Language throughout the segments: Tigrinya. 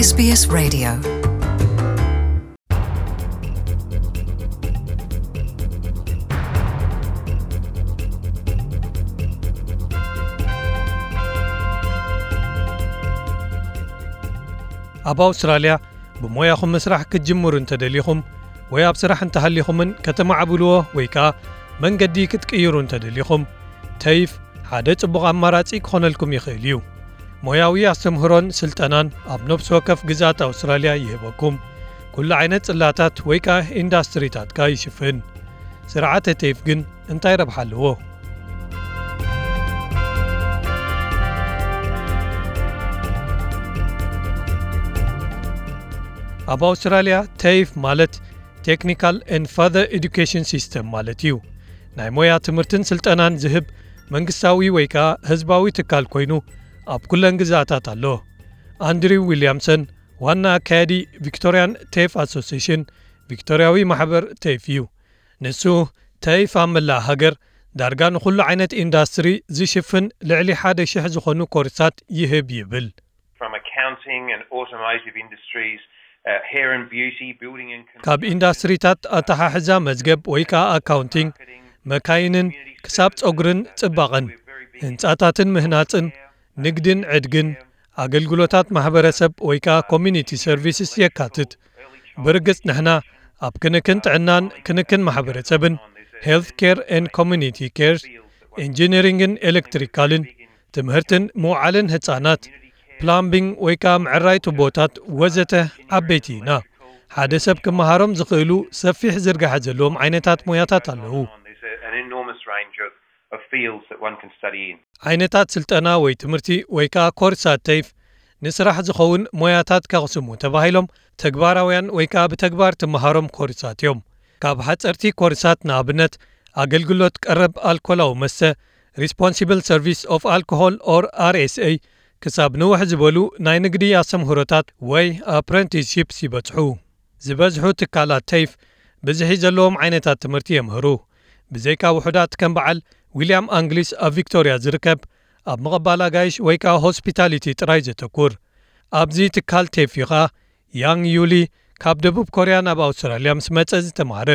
S B S Radio. ኣብ ኣውስትራልያ ብሞያኹም ምስራሕ ክትጅምሩ እንተደሊኹም ወይ ኣብ ስራሕ እንተሃሊኹምን ከተማዕብልዎ ወይ ከኣ መንገዲ ክትቅይሩ እንተደሊኹም፣ ተይፍ ሓደ ጽቡቕ ኣማራጺ ክኾነልኩም ይኽእል እዩ። ሞያዊ ኣስተምህሮን ስልጠናን ኣብ ነፍሲ ወከፍ ግዝኣት ኣውስትራልያ ይህበኩም። ኩሉ ዓይነት ጽላታት ወይ ከኣ ኢንዳስትሪታት ከኣ ይሽፍን። ስርዓተ ተይፍ ግን እንታይ ረብሓ ኣለዎ? ኣብ ኣውስትራልያ ተይፍ ማለት Technical and Further Education System ማለት እዩ። ናይ ሞያ ትምህርትን ስልጠናን ዝህብ መንግስታዊ ወይ ከኣ ህዝባዊ ትካል ኮይኑ ኣብ ኩለን ግዝኣታት ኣሎ። ኣንድሪው ዊልያምሰን ዋና ኣካያዲ ቪክቶርያን ተይፍ ኣሶሲሽን፣ ቪክቶርያዊ ማሕበር ተይፍ እዩ። ንሱ ተይፍ ኣብ መላእ ሃገር ዳርጋ ንኹሉ ዓይነት ኢንዳስትሪ ዝሽፍን ልዕሊ ሓደ ሽሕ ዝኾኑ ኮርሳት ይህብ ይብል። From accounting and automotive industries, uh, hair and beauty, building and ካብ construction, ኢንዳስትሪታት ኣተሓሕዛ መዝገብ ወይ ከኣ ኣካውንቲንግ፣ መካይንን ክሳብ ጸጉርን ጽባቐን፣ ህንጻታትን ምህናጽን፣ ንግድን ዕድግን፣ ኣገልግሎታት ማሕበረሰብ ወይ ከኣ ኮሚኒቲ ሰርቪስስ የካትት። ብርግጽ ንሕና ኣብ ክንክን ጥዕናን ክንክን ማሕበረሰብን፣ ሄልት ኬር ኤንድ ኮሚኒቲ ኬርስ፣ ኢንጂነሪንግን ኤሌክትሪካልን፣ ትምህርትን ምውዓልን ህጻናት፣ ፕላምቢንግ ወይ ከኣ ምዕራይ ቱቦታት ወዘተ ዓበይቲ ኢና። ሓደ ሰብ ክመሃሮም ዝኽእሉ ሰፊሕ ዝርጋሐ ዘለዎም ዓይነታት ሞያታት ኣለዉ። There's a- an enormous range of, of fields that one can study in. ዓይነታት ስልጠና ወይ ትምህርቲ ወይ ከኣ ኮርሳት ተይፍ ንስራሕ ዝኸውን ሞያታት ከቕስሙ ተባሂሎም ተግባራውያን ወይ ከኣ ብተግባር ትመሃሮም ኮርሳት እዮም። ካብ ሓጸርቲ ኮርሳት ንኣብነት ኣገልግሎት ቀረብ ኣልኮላዊ መስተ፣ Responsible Service of Alcohol or R S A፣ ክሳብ ንውሕ ዝበሉ ናይ ንግዲ ኣስተምህሮታት ወይ ኣፕረንቲስሺፕስ ይበጽሑ። ዝበዝሑ ትካላት ተይፍ ብዝሒ ዘለዎም ዓይነታት ትምህርቲ የምህሩ። ብዘይካ ውሑዳት ከም በዓል ዊልያም ኣንግሊስ ኣብ ቪክቶርያ ዝርከብ ኣብ ምቕባል ኣጋይሽ ወይ ከኣ ሆስፒታሊቲ ጥራይ ዘተኩር። ኣብዚ ትካል ተይፍ እዩ ኸኣ ያንግ ዩሊ ካብ ደቡብ ኮርያ ናብ ኣውስትራልያ ምስ መጸ ዝተማህረ።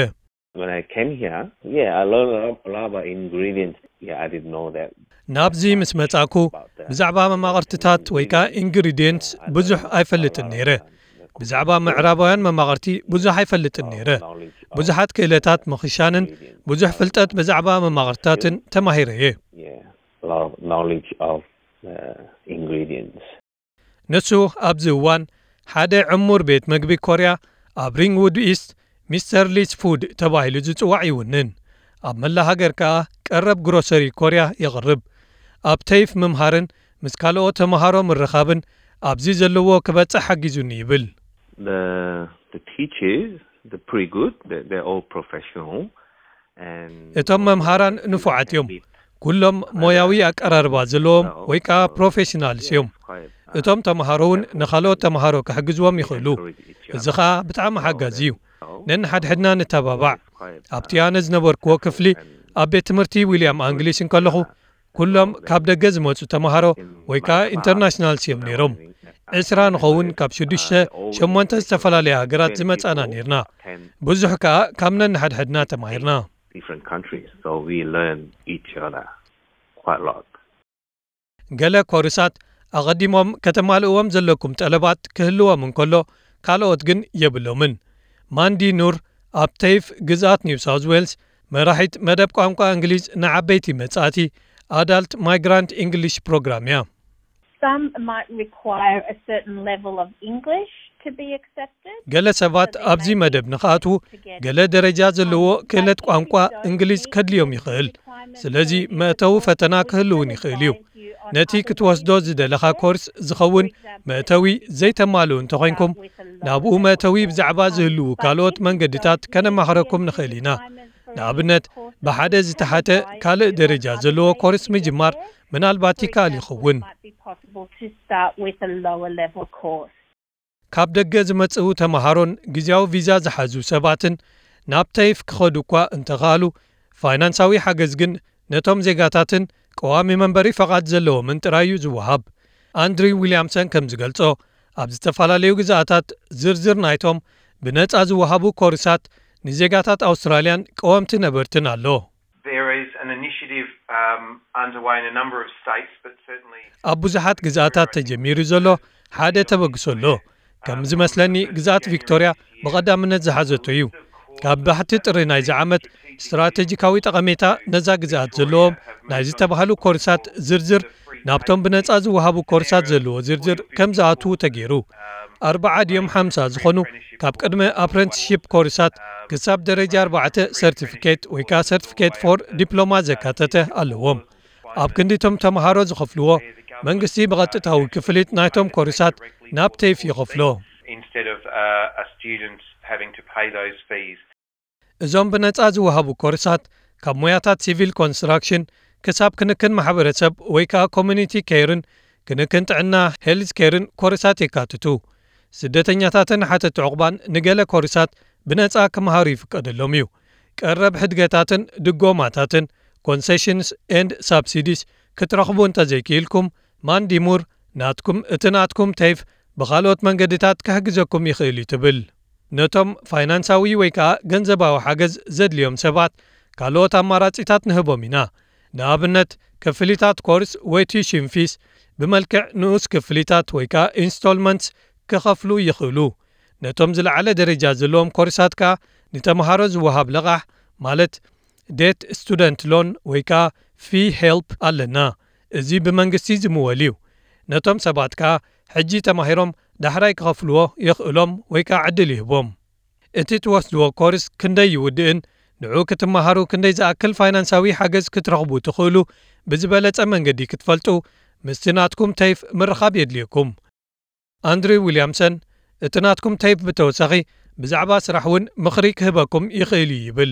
When I came here, yeah, I learned a lot, a lot about ingredients. Yeah, I didn't know that. ናብዚ ምስ መጻኩ ብዛዕባ መማቕርትታት ወይ ከኣ ኢንግሪድየንትስ ብዙሕ ኣይፈልጥን ነይረ። ብዛዕባ ምዕራባውያን መማቕርቲ ብዙሕ ኣይፈልጥን ነይረ። ብዙሓት ክእለታት ምኽሻንን ብዙሕ ፍልጠት ብዛዕባ መማቕርትታትን ተማሂረ እየ። Yeah, a lot of knowledge of uh, ingredients. ንሱ ኣብዚ እዋን ሓደ ዕሙር ቤት መግቢ ኮርያ ኣብ ሪንግውድ ኢስት ሚስተር ሊስ ፉድ ተባሂሉ ዝጽዋዕ ይውንን። ኣብ መላ ሃገር ከኣ ቀረብ ግሮሰሪ ኮርያ የቕርብ። ኣብ ተይፍ ምምሃርን ምስ ካልኦት ተምሃሮ ምርኻብን ኣብዚ ዘለዎ ክበጽሕ ሓጊዙኒ ይብል። The the teachers, they're pretty good. They're, they're all professional. And እቶም መምሃራን ንፉዓት እዮም። ኩሎም ሞያዊ ኣቀራርባ ዘለዎም ወይ ከኣ ፕሮፌሽናልስ እዮም። እቶም ተምሃሮ እውን ንኻልኦት ተምሃሮ ክሕግዝዎም ይኽእሉ። እዚ ኸኣ ብጣዕሚ ሓጋዚ እዩ። ነንሓድሕድና ንተባባዕ። ኣብቲ ኣነ ዝነበርክዎ ክፍሊ ኣብ ቤት ትምህርቲ ዊልያም ኣንግሊሽ እንከለኹ ኩሎም ካብ ደገ ዝመጹ ተምሃሮ ወይ ከኣ ኢንተርናሽናልስ እዮም ነይሮም። ዕስራ ንኸውን ካብ ሽዱሽተ ሸሞንተ ዝተፈላለያ ሃገራት ዝመጻና ነይርና። ብዙሕ ከኣ ካብ ነንሓድሕድና ተማሂርና። Different countries, so we learn each other quite a lot. ገለ ኮርሳት ኣቐዲሞም ከተማልእዎም ዘለኩም ጠለባት ክህልዎም እንከሎ ካልኦት ግን የብሎምን። ማንዲ ኑር ኣብ ተይፍ ግዝኣት ኒው ሳውዝ ዌልስ መራሒት መደብ ቋንቋ እንግሊዝ ንዓበይቲ መጻእቲ ኣዳልት ማይግራንት ኢንግሊሽ ፕሮግራም እያ። Some might require a certain level of English to be accepted. ገለ ሰባት ኣብዚ መደብ ንኽኣትዉ ገለ ደረጃ ዘለዎ ክእለት ቋንቋ እንግሊዝ ከድልዮም ይኽእል። ስለዚ መእተዊ ፈተና ክህልውን ይኽእል እዩ። ነቲ ክትወስዶ ዝደለኻ ኮርስ ዝኸውን መእተዊ ዘይተማልኡ እንተኾይንኩም ናብኡ መእተዊ ብዛዕባ ዝህልዉ ካልኦት መንገድታት ከነማኽረኩም ንኽእል ኢና። ንኣብነት ብሓደ ዝተሓተ ካልእ ደረጃ ዘለዎ ኮርስ ምጅማር ምናልባት ይከኣል ይኸውን። ካብ ደገ ዝመጽኡ ተምሃሮን ግዝያዊ ቪዛ ዝሓዙ ሰባትን ናብ ተይፍ ክኸዱ እኳ እንተኸኣሉ ፋይናንሳዊ ሓገዝ ግን ነቶም ዜጋታትን ቀዋሚ መንበሪ ፈቓድ ዘለዎምን ጥራይ እዩ ዝወሃብ። ኣንድሪው ዊልያምሰን ከም ዝገልጾ ኣብ ዝተፈላለዩ ግዝኣታት ዝርዝር ናይቶም ብነጻ ዝወሃቡ ኮርሳት ንዜጋታት ኣውስትራልያን ቀወምቲ ነበርትን ኣሎ። There is an initiative um, underway in a number of states, but certainly ኣብ ብዙሓት ግዝኣታት ተጀሚሩ ዘሎ ሓደ ተበግሶ ኣሎ። ከም ዝመስለኒ ግዝኣት ቪክቶርያ ብቐዳምነት ዝሓዘቶ እዩ። ካብ ባሕቲ ጥሪ ናይዚ ዓመት ስትራቴጂካዊ ጠቐሜታ ነዛ ግዝኣት ዘለዎም ናይ ዝተባህሉ ኮርሳት ዝርዝር ናብቶም ብነጻ ዝወሃቡ ኮርሳት ዘለዎ ዝርዝር ከም ዝኣትዉ ተገይሩ። ኣርባዓ ድዮም ሓምሳ ዝኾኑ ካብ ቅድመ ኣፕረንቲስሺፕ ኮርሳት ክሳብ ደረጃ ኣርባዕተ ሰርቲፊኬት ወይ ከዓ ሰርቲፊኬት ፎር ዲፕሎማ ዘካተተ ኣለዎም። ኣብ ክንዲ እቶም ተምሃሮ ዝኸፍልዎ መንግስቲ ብቐጥታዊ ክፍሊት ናይቶም ኮርሳት ናብ ቴፍ ይኸፍሎ። instead of uh, a student having to pay those fees. እዞም ብነጻ ዝወሃቡ ኮርሳት ካብ ሞያታት ሲቪል ኮንስትራክሽን ክሳብ ክንክን ማሕበረሰብ ወይ ከዓ ኮሚኒቲ ኬርን ክንክን ጥዕና ሄልዝ ኬርን ኮርሳት የካትቱ። ስደተኛታትን ሓተቲ ዕቑባን ንገለ ኮርሳት ብነጻ ክመሃሩ ይፍቀደሎም እዩ። ቀረብ ሕድገታትን ድጎማታትን ኮንሴሽንስ ኤንድ ሳብሲዲስ ክትረኽቡ እንተዘይክኢልኩም ማንዲሙር ናትኩም እቲ ናትኩም ቴፍ ብኻልኦት መንገድታት ክሕግዘኩም ይኽእል እዩ ትብል። ነቶም ፋይናንሳዊ ወይ ከዓ ገንዘባዊ ሓገዝ ዘድልዮም ሰባት ካልኦት ኣማራጺታት ንህቦም ኢና። ንኣብነት ክፍሊታት ኮርስ ወይ ቲሽን ፊስ ብመልክዕ ንኡስ ክፍሊታት ወይ ከዓ ኢንስቶልመንትስ ክኸፍሉ ይኽእሉ። ነቶም ዝለዓለ ደረጃ ዘለዎም ኮርሳት ከዓ ንተምሃሮ ዝወሃብ ለቓሕ ማለት ዴት ስቱደንት ሎን ወይ ከዓ ፊ ሄልፕ ኣለና። እዚ ብመንግስቲ ዝምወል እዩ። ነቶም ሰባት ከዓ ሕጂ ተማሂሮም ዳሕራይ ክኸፍልዎ የኽእሎም ወይ ከዓ ዕድል ይህቦም። እቲ ትወስድዎ ኮርስ ክንደይ ይውድእን ንዑ ክትመሃሩ ክንደይ ዝኣክል ፋይናንሳዊ ሓገዝ ክትረኽቡ ትኽእሉ ብዝበለጸ መንገዲ ክትፈልጡ ምስቲ ናትኩም ተይፍ ምርኻብ የድልየኩም። ኣንድሪው ዊልያምሰን እቲ ናትኩም ተይፍ ብተወሳኺ ብዛዕባ ስራሕ እውን ምኽሪ ክህበኩም ይኽእል እዩ ይብል።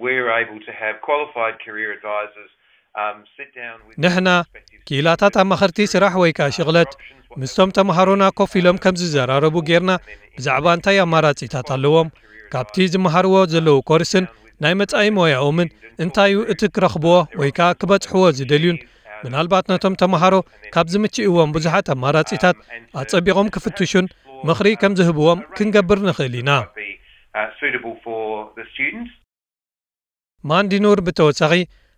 We're able to have qualified career advisors um, sit down with ንሕና ክኢላታት ኣማኸርቲ ስራሕ ወይ ከዓ ሽቕለት ምስቶም ተምሃሮና ኮፍ ኢሎም ከም ዝዘራረቡ ጌርና ብዛዕባ እንታይ ኣማራጺታት ኣለዎም፣ ካብቲ ዝመሃርዎ ዘለዉ ኮርስን ናይ መጻኢ ሞያኦምን እንታይ እዩ እቲ ክረኽብዎ ወይ ከዓ ክበጽሕዎ ዝደልዩን ምናልባት ነቶም ተምሃሮ ካብ ዝምችእዎም ብዙሓት ኣማራጺታት ኣጸቢቖም ክፍትሹን ምኽሪ ከም ዝህብዎም ክንገብር ንኽእል ኢና። be uh, suitable for the students. ማንዲኑር ብተወሳኺ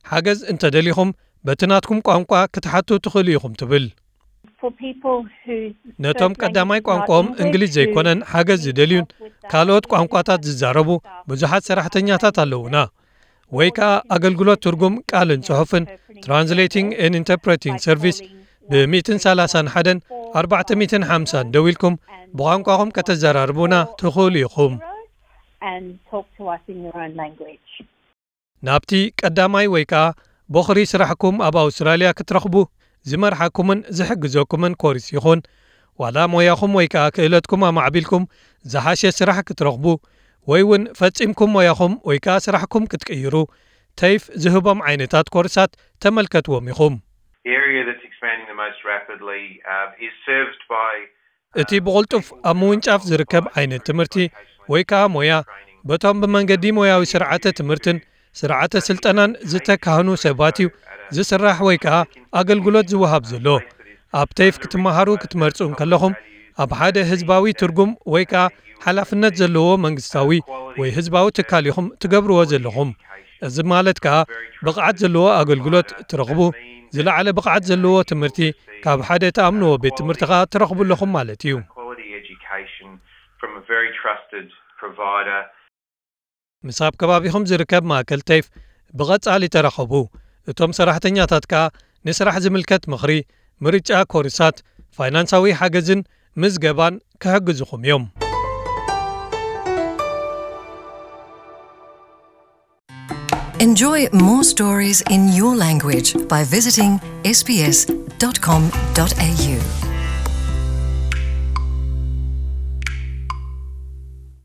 ሓገዝ እንተደሊኹም በቲ ናትኩም ቋንቋ ክትሓቱ ትኽእሉ ኢኹም ትብል። For people who ነቶም ቀዳማይ ቋንቋኦም እንግሊዝ ዘይኮነን ሓገዝ ዝደልዩን ካልኦት ቋንቋታት ዝዛረቡ ብዙሓት ሰራሕተኛታት ኣለዉና። ወይ ከዓ ኣገልግሎት ትርጉም ቃልን ጽሑፍን ትራንስሌቲንግ ኤን ኢንተርፕሬቲንግ ሰርቪስ ብ ሚእትን ሰላሳን ሓደን ኣርባዕተ ሚእትን ሓምሳን ደዊልኩም ብቋንቋኹም ከተዘራርቡና ትኽእሉ ኢኹም። and talk to us in your own language. ናብቲ ቀዳማይ ወይ ከዓ ቦኽሪ ስራሕኩም ኣብ ኣውስትራልያ ክትረኽቡ ዝመርሓኩምን ዝሕግዘኩምን ኮርስ ይኹን ዋላ ሞያኹም ወይ ከዓ ክእለትኩም ኣማዕቢልኩም ዝሓሸ ስራሕ ክትረኽቡ ወይ እውን ፈጺምኩም ሞያኹም ወይ ከዓ ስራሕኩም ክትቅይሩ ተይፍ ዝህቦም ዓይነታት ኮርሳት ተመልከትዎም ኢኹም። The area that's expanding the most rapidly um, is served by እቲ ብቕልጡፍ ኣብ ምውንጫፍ ዝርከብ ዓይነት ትምህርቲ ወይ ከዓ ሞያ በቶም ብመንገዲ ሞያዊ ስርዓተ ትምህርትን ስርዓተ ስልጠናን ዝተካህኑ ሰባት እዩ ዝስራሕ ወይ ከዓ ኣገልግሎት ዝወሃብ ዘሎ። ኣብ ተይፍ ክትመሃሩ ክትመርጹ እንከለኹም ኣብ ሓደ ህዝባዊ ትርጉም ወይ ከዓ ሓላፍነት ዘለዎ መንግስታዊ ወይ ህዝባዊ ትካል ኢኹም ትገብርዎ ዘለኹም። እዚ ማለት ከዓ ብቕዓት ዘለዎ ኣገልግሎት ትረኽቡ፣ ዝለዓለ ብቕዓት ዘለዎ ትምህርቲ ካብ ሓደ ተኣምንዎ ቤት ትምህርቲ ከዓ ትረኽቡ ኣለኹም ማለት እዩ። quality education from a very trusted provider. ምስ ኣብ ከባቢኹም ዝርከብ ማእከል ተይፍ ብቐጻሊ ተራኸቡ። እቶም ሰራሕተኛታት ከዓ ንስራሕ ዝምልከት ምኽሪ፣ ምርጫ ኮርሳት፣ ፋይናንሳዊ ሓገዝን ምዝገባን ክሕግዙኹም እዮም። Enjoy more stories in your language by visiting S B S dot com dot A U.